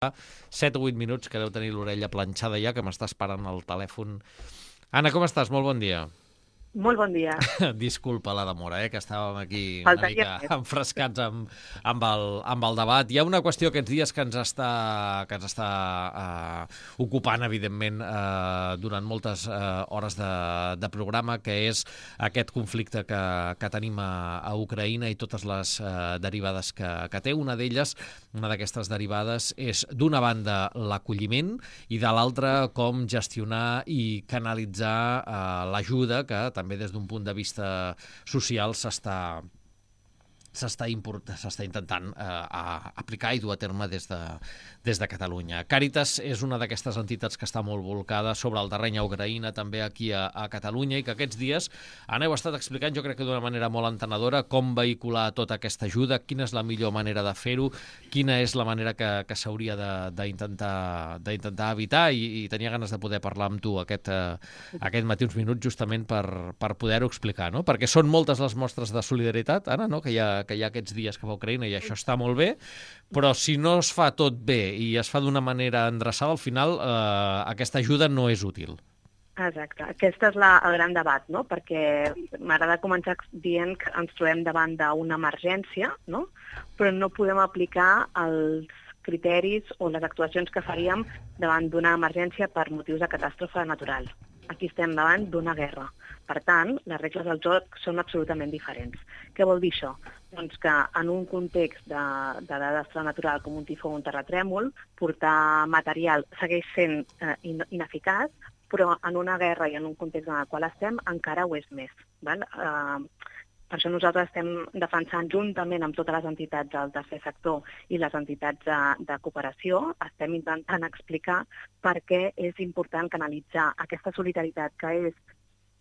7 o 8 minuts que deu tenir l'orella planxada ja, que m'està esperant al telèfon. Anna, com estàs? Molt bon dia. Molt bon dia. Disculpa la demora, que estàvem aquí una Faltaria mica enfrescats amb el debat. Hi ha una qüestió aquests dies que ens està ocupant, evidentment, durant moltes hores de programa, que és aquest conflicte que tenim a Ucraïna i totes les derivades que té. Una d'elles, una d'aquestes derivades, és d'una banda l'acolliment i de l'altra com gestionar i canalitzar l'ajuda que també des d'un punt de vista social s'està intentant aplicar i dur a terme des de Catalunya. Càritas és una d'aquestes entitats que està molt volcada sobre el terreny a Ucraïna, també aquí a Catalunya, i que aquests dies heu estat explicant, jo crec que d'una manera molt entenedora, com vehicular tota aquesta ajuda, quina és la millor manera de fer-ho, quina és la manera que s'hauria d'intentar evitar, i tenia ganes de poder parlar amb tu aquest matí uns minuts justament per poder-ho explicar, no? Perquè són moltes les mostres de solidaritat, Anna, no? que hi ha aquests dies que va a Ucraïna, i això està molt bé, però si no es fa tot bé i es fa d'una manera endreçada, al final aquesta ajuda no és útil. Exacte. Aquest és el gran debat, no? Perquè m'agrada començar dient que ens trobem davant d'una emergència, no? Però no podem aplicar els criteris o les actuacions que faríem davant d'una emergència per motius de catàstrofe natural. Aquí estem davant d'una guerra. Per tant, les regles del joc són absolutament diferents. Què vol dir això? Doncs que en un context de desastre natural com un tifó o un terratrèmol, portar material segueix sent ineficaç, però en una guerra i en un context en el qual estem encara ho és més. Val? Per això nosaltres estem defensant juntament amb totes les entitats del tercer sector i les entitats de cooperació, estem intentant explicar per què és important canalitzar aquesta solidaritat que és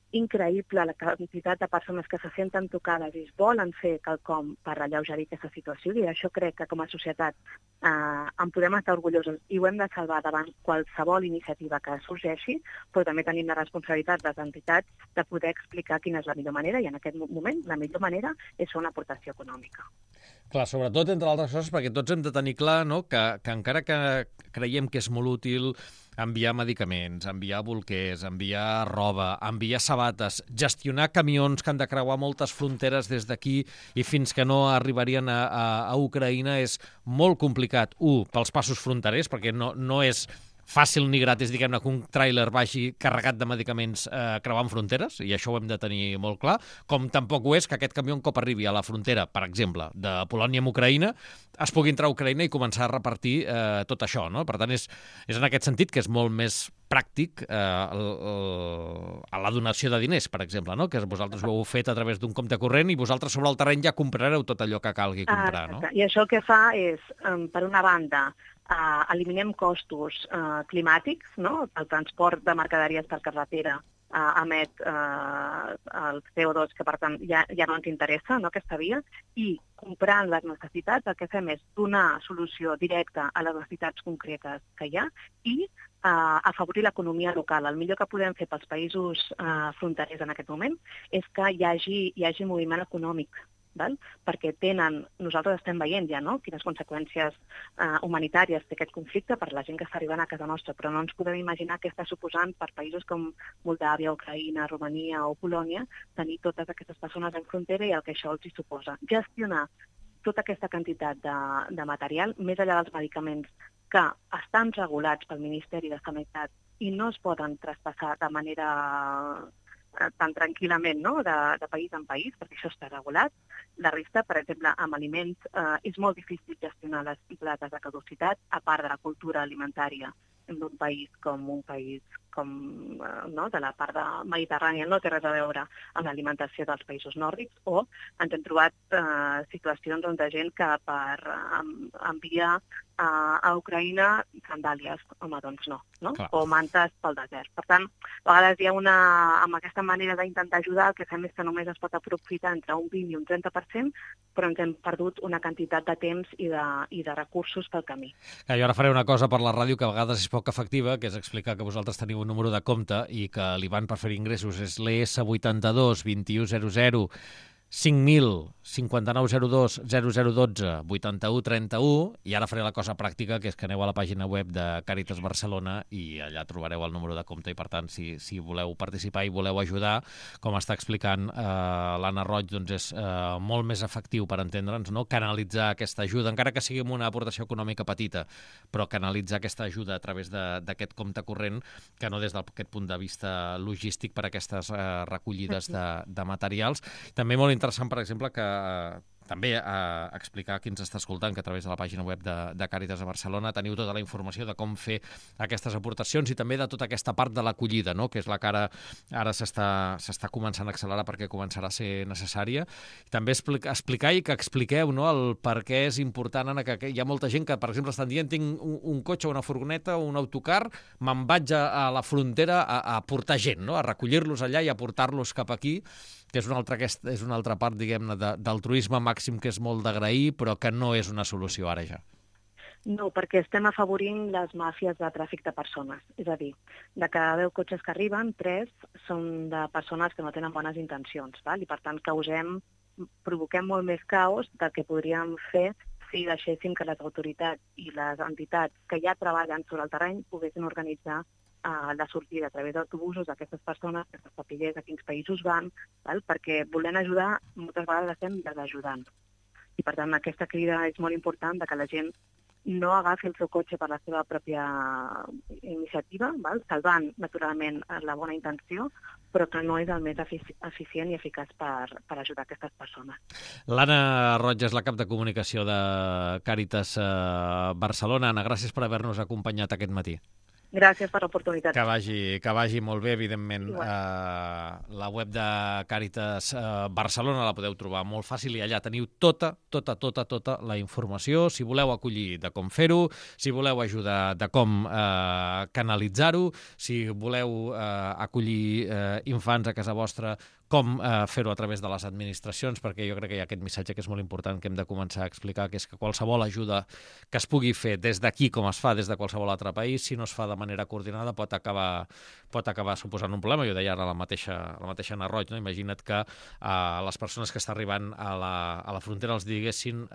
increïble, la quantitat de persones que se senten tocades i es volen fer quelcom per alleugerir aquesta situació, i això crec que com a societat en podem estar orgullosos i ho hem de salvar davant qualsevol iniciativa que sorgeixi, però també tenim la responsabilitat de les entitats de poder explicar quina és la millor manera, i en aquest moment la millor manera és fer una aportació econòmica. Clar, sobretot, entre altres coses, perquè tots hem de tenir clar, no?, que encara que creiem que és molt útil enviar medicaments, enviar bolquers, enviar roba, enviar sabates, gestionar camions que han de creuar moltes fronteres des d'aquí i fins que no arribarien a Ucraïna, és molt complicat. Pels passos fronterers, perquè no és fàcil ni gratis, diguem-ne, que un tràiler vagi carregat de medicaments creuant fronteres, i això ho hem de tenir molt clar, com tampoc ho és que aquest camió, un cop arribi a la frontera, per exemple, de Polònia amb Ucraïna, es pugui entrar a Ucraïna i començar a repartir tot això, no? Per tant, és en aquest sentit que és molt més pràctic a la donació de diners, per exemple, no? Que vosaltres ho heu fet a través d'un compte corrent i vosaltres sobre el terreny ja comprareu tot allò que calgui comprar, no? I això el que fa és, per una banda, eliminem costos climàtics, no? El transport de mercaderies per carretera emet el CO2, que per tant ja no ens interessa, no, aquesta via, i comprant les necessitats el que fem és donar solució directa a les necessitats concretes que hi ha i afavorir l'economia local. El millor que podem fer pels països fronterers en aquest moment és que hi hagi moviment econòmic, val? Perquè nosaltres estem veient ja, no?, quines conseqüències humanitàries té aquest conflicte per la gent que està arribant a casa nostra, però no ens podem imaginar què està suposant per països com Moldàvia, Ucraïna, Romania o Polònia tenir totes aquestes persones en frontera i el que això els hi suposa. Gestionar tota aquesta quantitat de material, més enllà dels medicaments que estan regulats pel Ministeri de Sanitat i no es poden traspassar de manera tan tranquil·lament, no?, de país en país, perquè això està regulat. La resta, per exemple, amb aliments, és molt difícil gestionar les dates de caducitat, a part de la cultura alimentària d'un país com de la part mediterrània, no té res a veure amb l'alimentació dels països nòrdics, o ens hem trobat situacions de gent que per enviar a Ucraïna sandàlies, home, doncs no? O mantes pel desert. Per tant, a vegades hi ha amb aquesta manera d'intentar ajudar, el que fem és que només es pot aprofitar entre un 20 i un 30%, però ens hem perdut una quantitat de temps i de recursos pel camí. Jo ara faré una cosa per la ràdio que a vegades és poc efectiva, que és explicar que vosaltres teniu un número de compte i que l'IBAN per fer ingressos és l'ES82 2100 5.000 5902 0012 81 31 i ara faré la cosa pràctica, que és que aneu a la pàgina web de Càritas Barcelona i allà trobareu el número de compte i, per tant, si voleu participar i voleu ajudar, com està explicant l'Anna Roig, doncs és molt més efectiu per entendre'ns, no? Canalitzar aquesta ajuda, encara que sigui amb una aportació econòmica petita, però canalitzar aquesta ajuda a través d'aquest compte corrent, que no des d'aquest punt de vista logístic per a aquestes recollides de materials. També molt interessant, per exemple, que també explicar a qui ens està escoltant que a través de la pàgina web de Càritas de Barcelona teniu tota la informació de com fer aquestes aportacions i també de tota aquesta part de l'acollida, no? Que és la que ara s'està començant a accelerar perquè començarà a ser necessària. I també explicar i que expliqueu, no, el per què és important, Anna, que hi ha molta gent que, per exemple, estan dient tinc un cotxe, una furgoneta o un autocar, me'n vaig a la frontera a portar gent, no? A recollir-los allà i a portar-los cap aquí, que és una altra part, diguem-ne, d'altruisme màxim que és molt d'agrair, però que no és una solució ara ja. No, perquè estem afavorint les màfies de tràfic de persones. És a dir, de cada 10 cotxes que arriben, 3 són de persones que no tenen bones intencions, val? I per tant provoquem molt més caos del que podríem fer si deixéssim que les autoritats i les entitats que ja treballen sobre el terreny poguessin organitzar la sortida a través d'autobusos d'aquestes persones, que se sapigués a quins països van, val? Perquè volent ajudar moltes vegades estem desajudant. I per tant aquesta crida és molt important, de que la gent no agafi el seu cotxe per la seva pròpia iniciativa, val? Salvant naturalment la bona intenció, però que no és el més eficient i eficaç per ajudar aquestes persones. L'Anna Roig és la cap de comunicació de Càritas Barcelona. Anna, gràcies per haver-nos acompanyat aquest matí. Gràcies per l'oportunitat. Que vagi molt bé, evidentment. La web de Càritas Barcelona la podeu trobar molt fàcil i allà teniu tota la informació, si voleu acollir, de com fer-ho, si voleu ajudar, de com canalitzar-ho, si voleu acollir infants a casa vostra, com fer-ho a través de les administracions, perquè jo crec que hi ha aquest missatge que és molt important, que hem de començar a explicar, que és que qualsevol ajuda que es pugui fer des d'aquí, com es fa des de qualsevol altre país, si no es fa de manera coordinada, pot acabar suposant un problema. Jo deia ara la mateixa Anna Roig, no? Imagina't que les persones que estan arribant a la frontera els diguessin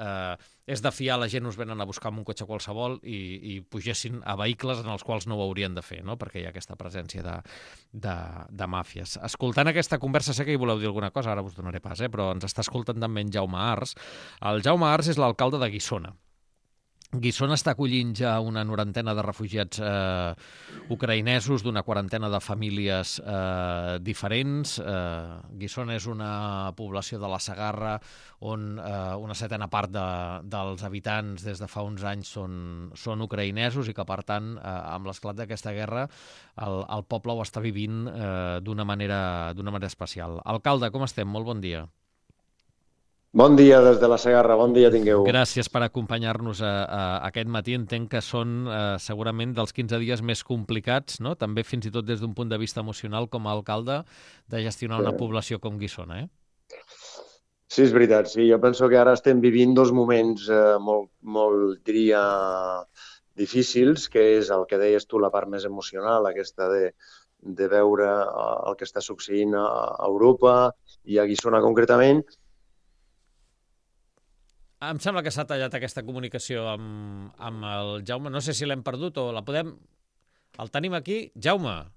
és de fiar, la gent us venen a buscar amb un cotxe qualsevol i pugessin a vehicles en els quals no ho haurien de fer, no? Perquè hi ha aquesta presència de màfies. Escoltant aquesta conversa, sé que hi voleu dir alguna cosa, ara us donaré pas, però ens està escoltant també en Jaume Ars. El Jaume Ars és l'alcalde de Guissona. Guissona està acollint ja una 90 de refugiats ucraïnesos d'una 40 de famílies diferents. Guissona és una població de la Segarra on una 7a part dels habitants des de fa uns anys són ucraïnesos i que, per tant, amb l'esclat d'aquesta guerra, el poble ho està vivint d'una manera especial. Alcalde, com estem? Molt bon dia. Bon dia des de la Segarra, bon dia tingueu. Gràcies per acompanyar-nos aquest matí. Entenc que són segurament dels 15 dies més complicats, no? També fins i tot des d'un punt de vista emocional com a alcalde, de gestionar una població com Guissona, Sí, és veritat, sí. Jo penso que ara estem vivint dos moments molt, diria, difícils, que és el que deies tu, la part més emocional, aquesta de veure el que està succeint a Europa i a Guissona concretament. Em sembla que s'ha tallat aquesta comunicació amb el Jaume. No sé si l'hem perdut o la podem... El tenim aquí. Jaume.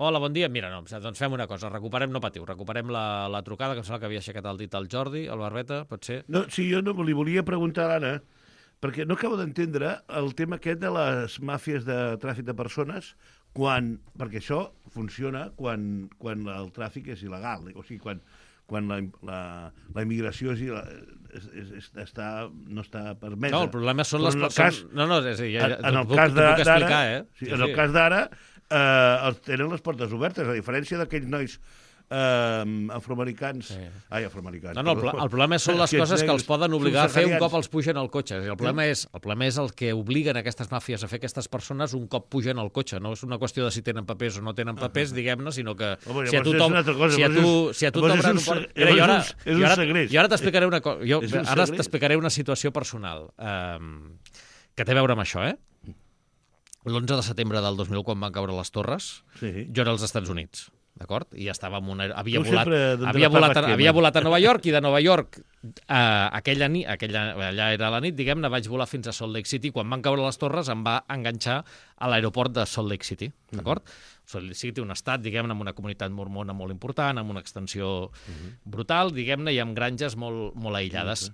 Hola, bon dia. Mira, no, doncs fem una cosa. No patiu, recuperem la trucada, que em sembla que havia aixecat el dit al Jordi, el Barbeta, pot ser? No, sí, jo no li volia preguntar a l'Anna, perquè no acabo d'entendre el tema aquest de les màfies de tràfic de persones, perquè això funciona quan el tràfic és il·legal, o sigui, quan la immigració no està permesa. No, el problema són les persones... En el cas d'ara, en el cas d'ara, tenen les portes obertes, a diferència d'aquells nois afroamericans... Ai, afroamericans. No, el problema són les coses que els poden obligar a fer un cop els pugen al cotxe. El problema és el que obliguen aquestes màfies a fer aquestes persones un cop pugen al cotxe. No és una qüestió de si tenen papers o no tenen papers, diguem-ne, sinó que si a tu t'obren un port... Jo ara t'explicaré una cosa. Ara t'explicaré una situació personal que té a veure amb això, l'11 de setembre del 2000, quan van caure les torres, jo era als Estats Units. d'acord? I estava en una... Havia volat a Nova York, i de Nova York aquella nit, allà era la nit, diguem-ne, vaig volar fins a Salt Lake City. Quan van caure les torres em va enganxar a l'aeroport de Salt Lake City, d'acord? Salt Lake City, un estat, diguem-ne, amb una comunitat mormona molt important, amb una extensió brutal, diguem-ne, i amb granges molt aïllades.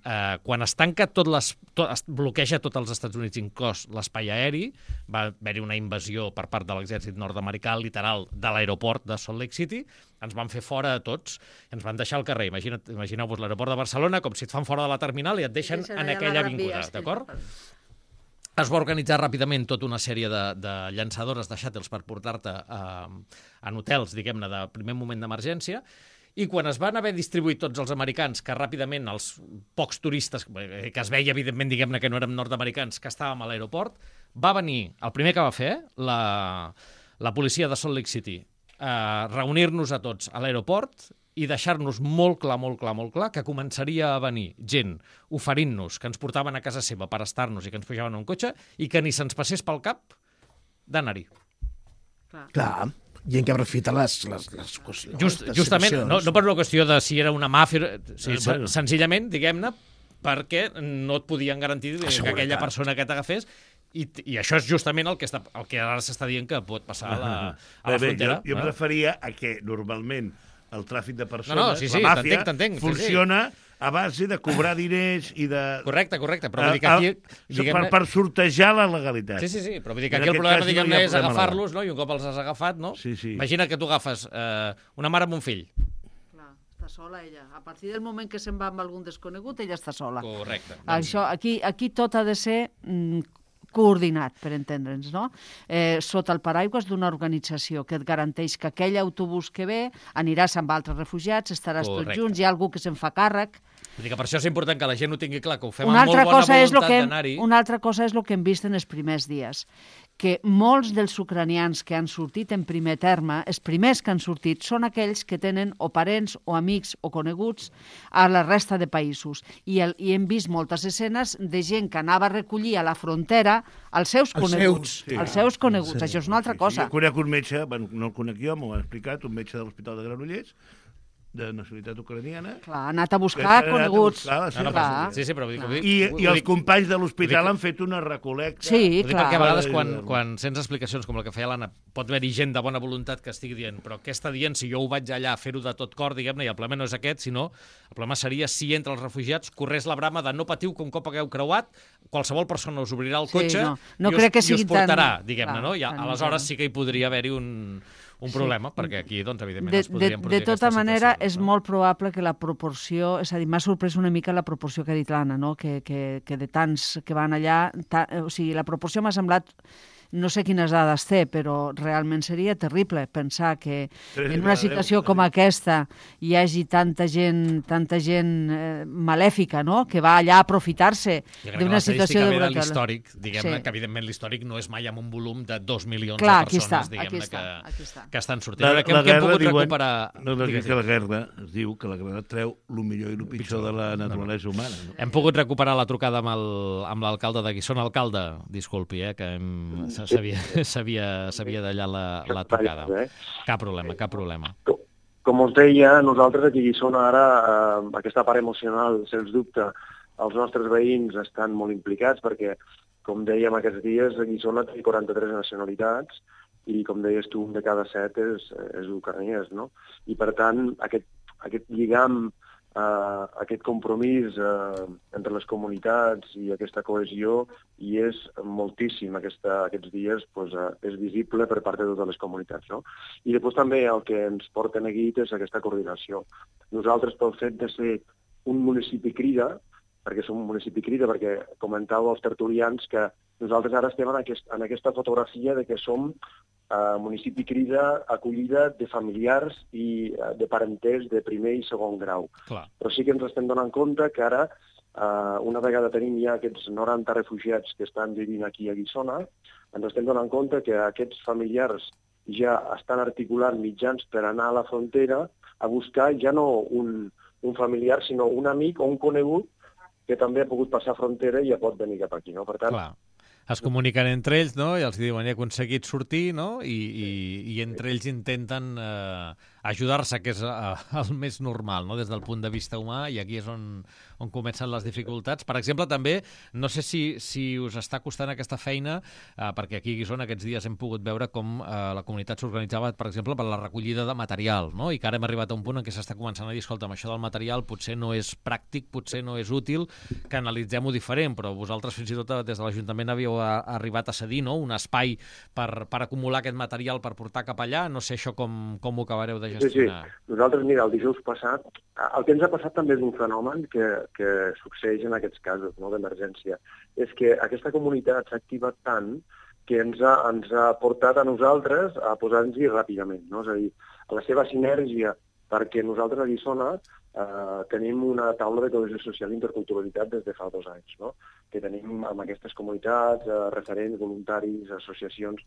Quan es tanca es bloqueja tots els Estats Units, inclòs l'espai aeri, va haver-hi una invasió per part de l'exèrcit nord-americà, literal, de l'aeroport de Salt Lake City, ens van fer fora a tots, i ens van deixar al carrer. Imagineu-vos l'aeroport de Barcelona com si et fan fora de la terminal i et deixen en aquella avinguda, d'acord? Es va organitzar ràpidament tota una sèrie de llançadores de shàtels per portar-te en hotels, diguem-ne, de primer moment d'emergència, i quan es van haver distribuït tots els americans, que ràpidament els pocs turistes, que es veia, evidentment, diguem-ne, que no érem nord-americans, que estàvem a l'aeroport, va venir, el primer que va fer, la policia de Salt Lake City, reunir-nos a tots a l'aeroport i deixar-nos molt clar que començaria a venir gent oferint-nos que ens portaven a casa seva per estar-nos i que ens pujaven a un cotxe i que ni se'ns passés pel cap d'anar-hi. Clar, gent que aprofita les justament, no per una qüestió de si era una màfia, senzillament, diguem-ne, perquè no et podien garantir que aquella persona que t'agafés. I això és justament el que ara s'està dient que pot passar a la frontera. Jo em referia a que normalment el tràfic de persones, la màfia, funciona a base de cobrar diners i de... Correcte, però vull dir que aquí... Per sortejar la legalitat. Sí, però vull dir que aquí el problema, diguem-ne, és agafar-los, no? I un cop els has agafat, no? Imagina que tu agafes una mare amb un fill. Clar, està sola ella. A partir del moment que se'n va amb algun desconegut, ella està sola. Correcte. Això, aquí tot ha de ser coordinat, per entendre'ns, no? Sota el paraigües d'una organització que et garanteix que aquell autobús que ve aniràs amb altres refugiats, estaràs tots junts, hi ha algú que se'n fa càrrec. Vull dir que per això és important que la gent ho tingui clar, que ho fem amb molt bona voluntat d'anar-hi. Una altra cosa és el que hem vist en els primers dies, que molts dels ucranians que han sortit en primer terme, els primers que han sortit, són aquells que tenen o parents o amics o coneguts a la resta de països. I hem vist moltes escenes de gent que anava a recollir a la frontera els seus coneguts. Els seus coneguts. Això és una altra cosa. Jo conec un metge, no el conec jo, m'ho ha explicat, un metge de l'Hospital de Granollers, de nacionalitat ucraniana. Clar, ha anat a buscar coneguts. Sí, però vull dir... I els companys de l'hospital han fet una recol·lecta. Sí, clar. Perquè a vegades quan sents explicacions com la que feia l'Anna, pot haver-hi gent de bona voluntat que estigui dient, però què està dient si jo ho vaig allà a fer-ho de tot cor, diguem-ne, i el problema no és aquest, sinó el problema seria si entre els refugiats corrés la brama de no patiu que un cop hagueu creuat, qualsevol persona us obrirà el cotxe i us portarà, diguem-ne, no? I aleshores sí que hi podria haver-hi un problema, perquè aquí, doncs, evidentment, es podrien produir de tota manera, és molt probable que la proporció... És a dir, m'ha sorprès una mica la proporció que ha dit l'Anna, no? Que de tants que van allà... O sigui, la proporció m'ha semblat... No sé quines dades té, però realment seria terrible pensar que en una situació com aquesta hi hagi tanta gent malèfica, no?, que va allà a aprofitar-se d'una situació de brutal. L'històric, diguem-ne, que evidentment l'històric no és mai amb un volum de 2 milions de persones, diguem-ne, que estan sortint. Que hem pogut recuperar... La guerra es diu que la guerra treu el millor i el pitjor de la naturalesa humana. Hem pogut recuperar la trucada amb l'alcalde de Guissona. Alcalde, disculpi, que sabia d'allà la trucada. Cap problema. Com us deia, nosaltres aquí a Guissona ara, aquesta part emocional, sens dubte, els nostres veïns estan molt implicats perquè, com dèiem aquests dies, a Guissona té 43 nacionalitats i, com deies tu, un de cada 7 és ucraniès, no? I, per tant, aquest lligam, aquest compromís entre les comunitats i aquesta cohesió hi és moltíssim aquests dies, és visible per part de totes les comunitats, no? I després també el que ens porta neguit és aquesta coordinació. Nosaltres, pel fet de ser un municipi crida, perquè som un municipi crida, perquè comentàveu els tertulians que nosaltres ara estem en aquesta fotografia de que som municipi crida acollida de familiars i de parenters de primer i segon grau. Clar. Però sí que ens estem donant compte que ara, una vegada tenim ja aquests 90 refugiats que estan vivint aquí a Guissona, ens estem donant compte que aquests familiars ja estan articulant mitjans per anar a la frontera a buscar ja no un familiar, sinó un amic o un conegut que també ha pogut passar frontera i ja pot venir cap aquí, no? Per tant, clar. es comuniquen entre ells, no? I els diuen, he aconseguit sortir, no? I entre ells intenten ajudar-se, que és el més normal, no? Des del punt de vista humà, i aquí és on comencen les dificultats. Per exemple, també, no sé si us està costant aquesta feina, perquè aquí a Guissona aquests dies hem pogut veure com la comunitat s'organitzava, per exemple, per la recollida de material, no? I que ara hem arribat a un punt en què s'està començant a dir, escolta, això del material potser no és pràctic, potser no és útil, que analitzem-ho diferent, però vosaltres fins i tot des de l'Ajuntament havíeu arribat a cedir, no? Un espai per acumular aquest material per portar cap allà. No sé això com ho acabareu de gestionar. Sí. Nosaltres, mira, el dijous passat, el que ens ha passat també és un fenomen que succeeix en aquests casos, no, d'emergència. És que aquesta comunitat s'ha activat tant que ens ha portat a nosaltres a posar-nos-hi ràpidament, no? És a dir, a la seva sinergia, perquè nosaltres a Guissona tenim una taula de cohesió social i interculturalitat des de fa 2 anys, no? Que tenim amb aquestes comunitats, referents, voluntaris, associacions,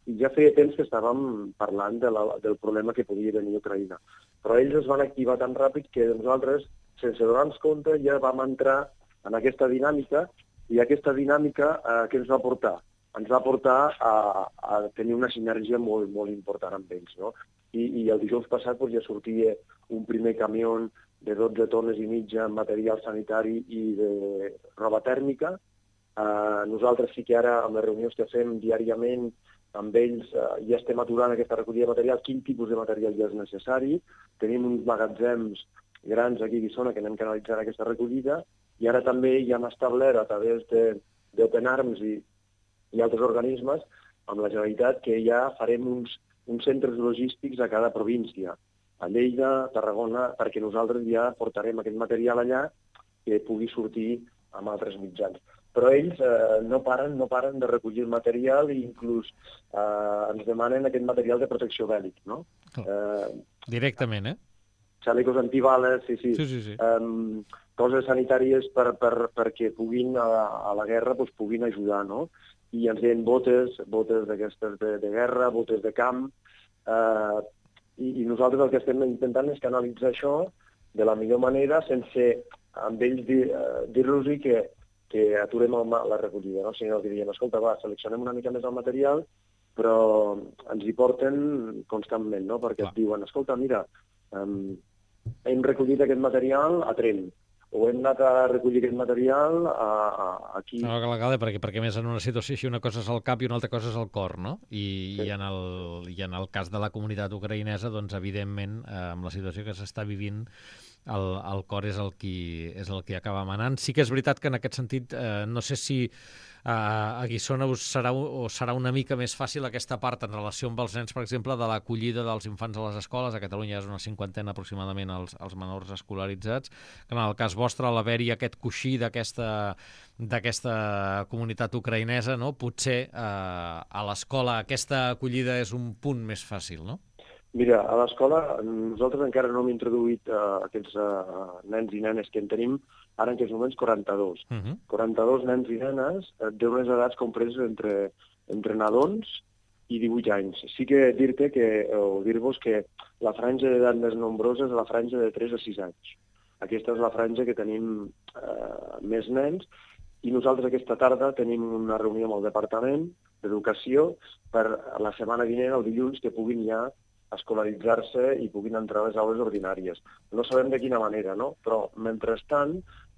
i ja feia temps que estàvem parlant del problema que podia venir a Ucraïna. Però ells es van activar tan ràpid que nosaltres, sense donar-nos compte, ja vam entrar en aquesta dinàmica, i aquesta dinàmica què ens va portar? Ens va portar a tenir una sinergia molt, molt important amb ells, no? I el dijous passat ja sortia un primer camió de 12 tones i mitja en material sanitari i de roba tèrmica. Nosaltres sí que ara, amb les reunions que fem diàriament amb ells, ja estem aturant aquesta recollida de material, quin tipus de material ja és necessari. Tenim uns magatzems grans aquí a Guissona que anem canalitzant aquesta recollida, i ara també ja hem establert a través d'Open Arms i altres organismes amb la Generalitat que ja farem uns centres logístics a cada província, a Lleida, Tarragona, perquè nosaltres ja portarem aquest material allà que pugui sortir amb altres mitjans. Però ells no paren de recollir el material, i inclús ens demanen aquest material de protecció bèl·lic, no? Directament, Xalecos antibales, sí. Coses sanitàries perquè puguin, a la guerra, puguin ajudar, no? I ens deien botes d'aquestes de guerra, botes de camp, i nosaltres el que estem intentant és canalitzar això de la millor manera, sense amb ells dir-los que aturem la recollida, no? Sinó que diem, escolta, seleccionem una mica més el material, però ens hi porten constantment, no? Perquè et diuen, escolta, mira, hem recollit aquest material a Tremp, o hem anat a recollir aquest material aquí. No, perquè més en una situació així una cosa és el cap i una altra cosa és el cor, no? I en el cas de la comunitat ucraïnesa, doncs, evidentment, amb la situació que s'està vivint, el cor és el qui acaba manant. Sí que és veritat que en aquest sentit, no sé si a Guissona serà una mica més fàcil aquesta part en relació amb els nens, per exemple, de l'acollida dels infants a les escoles. A Catalunya és una 50ena aproximadament els menors escolaritzats, que en el cas vostre, a l'haver-hi aquest coixí d'aquesta comunitat ucraïnesa, no? Potser a l'escola aquesta acollida és un punt més fàcil, no? Mira, a l'escola nosaltres encara no hem introduït aquests nens i nenes que en tenim ara en aquests moments 42. 42 nens i nenes d'unes edats compreses entre nadons i 18 anys. Sí que dir-vos que la franja d'edat més nombrosa és la franja de 3 a 6 anys. Aquesta és la franja que tenim més nens, i nosaltres aquesta tarda tenim una reunió amb el Departament d'Educació per la setmana vinent, el dilluns, que puguin ja escolaritzar-se i puguin entrar a les aules ordinàries. No sabem de quina manera, no? Però, mentrestant,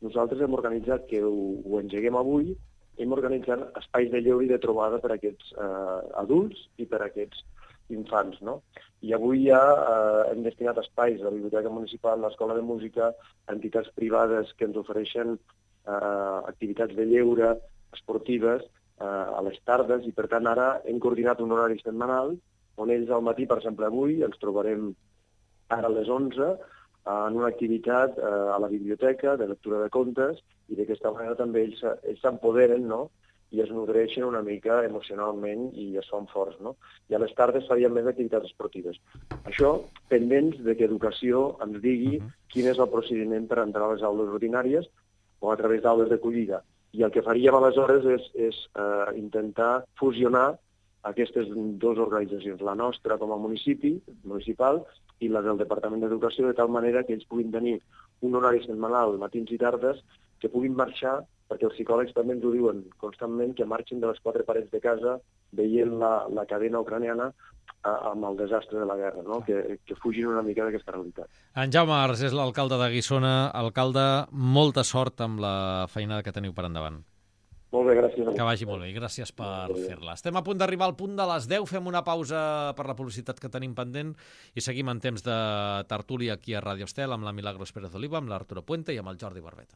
nosaltres hem organitzat, que ho engeguem avui, hem organitzat espais de lleure i de trobada per a aquests adults i per a aquests infants, no? I avui ja hem destinat espais a la Biblioteca Municipal, a l'Escola de Música, a entitats privades que ens ofereixen activitats de lleure, esportives, a les tardes, i per tant ara hem coordinat un horari setmanal on ells al matí, per exemple avui, ens trobarem ara a les 11 en una activitat a la biblioteca de lectura de contes, i d'aquesta manera també ells s'empoderen, no? I es nodreixen una mica emocionalment i es fan forts, no? I a les tardes farien més activitats esportives. Això pendents de que Educació ens digui quin és el procediment per entrar a les aules ordinàries o a través d'aules d'acollida. I el que faríem aleshores és intentar fusionar aquestes dues organitzacions, la nostra com a municipal i la del Departament d'Educació, de tal manera que ells puguin tenir un horari setmanal, matins i tardes, que puguin marxar perquè els psicòlegs també ens ho diuen constantment, que marxin de les quatre parets de casa veient la cadena ucraniana amb el desastre de la guerra, no? Que fugin una mica d'aquesta realitat. En Jaume Ars és l'alcalde de Guissona. Alcalde, molta sort amb la feinada que teniu per endavant. Molt bé, gràcies. Que vagi molt bé i gràcies per fer-la. Estem a punt d'arribar al punt de les 10, fem una pausa per la publicitat que tenim pendent i seguim en temps de tertúlia aquí a Ràdio Estel amb la Milagros Pérez Oliva, amb l'Arturo Puente i amb el Jordi Barbeta.